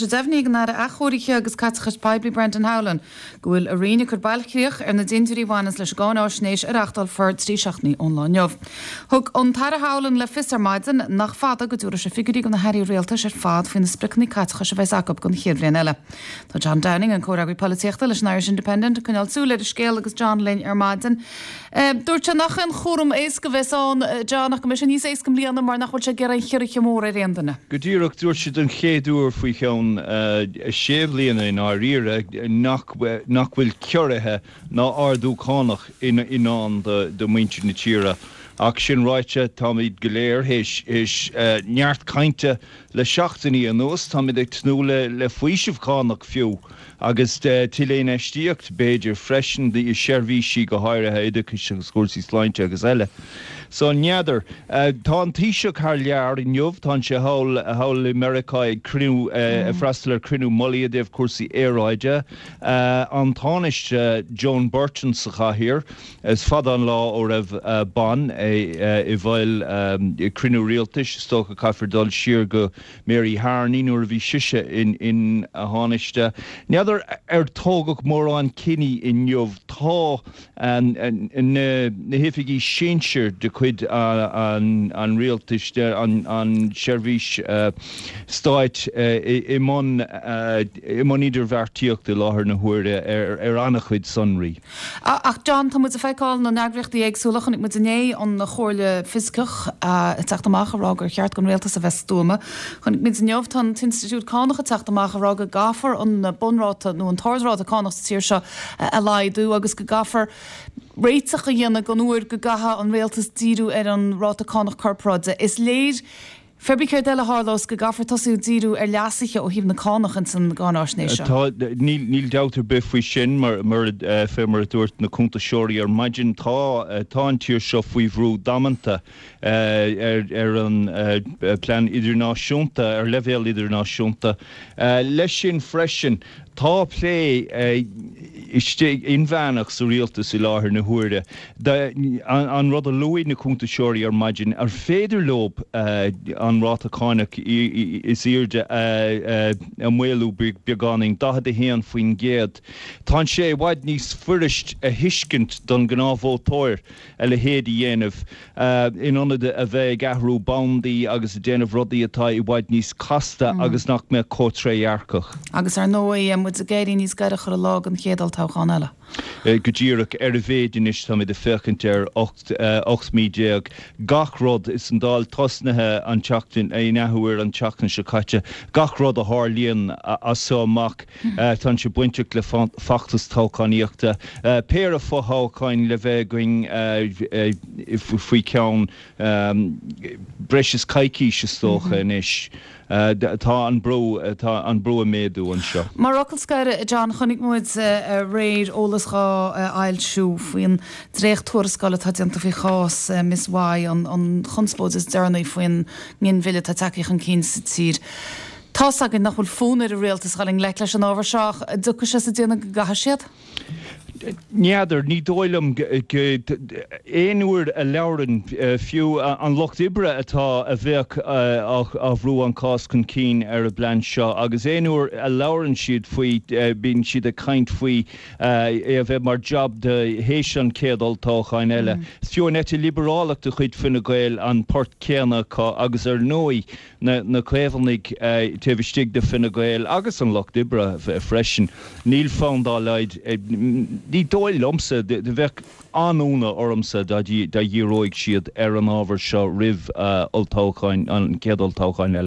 Deimhnithe ag an Aire Athchóirithe agus Caiteachais Poiblí Brendan Howlin go bhfuil a Roinn ag cur bailchríoch ar na dintiúirí a bhaineanns leis an gcáináisnéis a reachtálfar 3 seachtainí ón lá inniu. Thug an tAire Howlin le fios ar maidin nach fada go dtabharfaidh sé figiúirí do na hairí rialtais ar fad faoi na spriocanna caiteachais a bheas acu don chéad bhliain eile. Tá John Downing, an comhfhreagraí polaitíochta leis an Irish Independent, ag coinneáil súil ar an scéal agus John linn ar maidin. Dúirt sé nach aon chúram éasca a bheas ann, John, ach go mbeidh sé níos éasca i mbliana mar nach bhfuil sé ag iarraidh aon chiorruithe móra ar aon duine. Go díreach, dúirt sé don chéad uair faoi cheann sé bhliana i ndáiríre nach nach bhfuil ciorruithe ná ardú cánach i ndán do mhuintir na tíre. Ach sin ráite, táimid go léir théis neart cainte le seachtainí anuas, táimid ag tnúth le faoiseamh cánach fiú. Agus tuilleadh infheistíocht, b'fhéidir, freisin, i seirbhísí, go háirithe oideachais agus cúrsaí sláinte agus eile. So, n'fheadar. Tá an Taoiseach thar lear inniu. Tá sé thall, thall i Meiriceá ag cruinniú, ag freastal ar chruinniú mullaigh i dtaobh cúrsaí aeráide. An Tánaiste Joan Burton sa chathaoir. Is fada an lá ó raibh bean i bhfeighil cruinniú rialtais. Is dócha caithfear dul siar go Mary Harney nuair a bhí sise ina Thánaiste. N'fheadar ar tógadh mórán cinní inniu. Tá na hoifigí sinsir de chuid an rialtais, an tseirbhís stáit i mbun idirbheartaíochta i láthair na huaire ar an-chuid sonraí. Ach John, tá muid ag feiceáil na n-eagraíochtaí éagsúla, chonaic muid inné an Chomhairle Fioscach ag teacht amach ag rá gur cheart don rialtas a bheith stuama. Chonaic muid inniu, tá an tInstitiúid Cánach ag teacht amach ag rá go gcaithfear an bunráta nó an t-ardráta cánach sa tír seo a laghdú agus go gcaithfear réiteach a dhéanamh don uair go gcaithfidh an rialtas díriú ar an ráta cánach corparáide. Is léir Pé ar bith céard eile a tharlós, go gcaithfear tosú ag díriú ar leasuithe ó thaobh na cánach ins an gcáináisnéis seo. Tá, níl dabht ar bith faoi sin, mar, mar, fé mar a dúirt na cuntasóirí ar maidin, tá, tá an tír seo faoi bhrú damanta ar, ar an bplean idirnáisiúnta, ar leibhéal idirnáisiúnta. Leis sin freisin, Tá plé istigh inmheánach sa rialtas i láthair na huaire. An rud a luaigh na cuntasóirí ar maidin, ar féidir leo an ráta cánach is airde a mhaolú beagáinín, 41%. Tá sé i bhfad níos fuirist a thuiscint don ghnáthvótóir a leithéid a dhéanamh. in ionad a bheith ag athrú bandaí agus ag déanamh rudaí atá i bhfad níos casta agus nach mbeadh chomh trédhearcach. Agus ar ndóigh, muid ag éirí níos gaire chuile lá don chéad olltoghchán eile. Go díreach, ar a mhéid anois, táimid ag féachaint ar 18 mí. Gach rud, is an Dáil tosnaithe an tseachtain, in athuair an tseachtain seo caite, gach rud a tharlaíonn as seo amach, Tá sé bainteach le feachtas toghchánaíochta. Péire fothoghcháin le bheith againn faoi cheann breis is coicís is dócha anois. Tá an brú, tá an brú ag méadú anseo. Mar fhocal scoir, John, chonaic muid aréir eolas dhá fhoilsiú faoin dréacht-tuarascáil atá déanta faoi chás Ms Y, an chonspóid is deireanaí faoin nginmhilleadh atá tagtha chun cinn sa tír. Tá's againn nach bhfuil fonn ar an rialtas a dhul i ngleic leis an ábhar seo ach an dtiocfaidh sé sa déanamh go gcaithfidh siad? N'fheadar, ní dóigh liom go, aon uair a labhrann fiú an Lucht Oibre atá, a bheadh á bhrú an cás chun cinn ar an bplean seo agus aon uair a labhrann siad faoi bíonn siad ag caint faoi é a bheith mar jab do théis an chéad olltoghcháin eile. Is fiú an eite liobrálach de chuid Fine Gael an port céanna acu agus ar ndóigh na Caomhnaigh taobh istigh de Fine Gael agus an Lucht Oibre freisin. Níl fonn dá laghad, ní dóigh liomsa, bheadh an-ionadh ormsa dá dhíreoidh siad ar an ábhar seo roimh olltoghcháin, an chéad olltoghchán eile.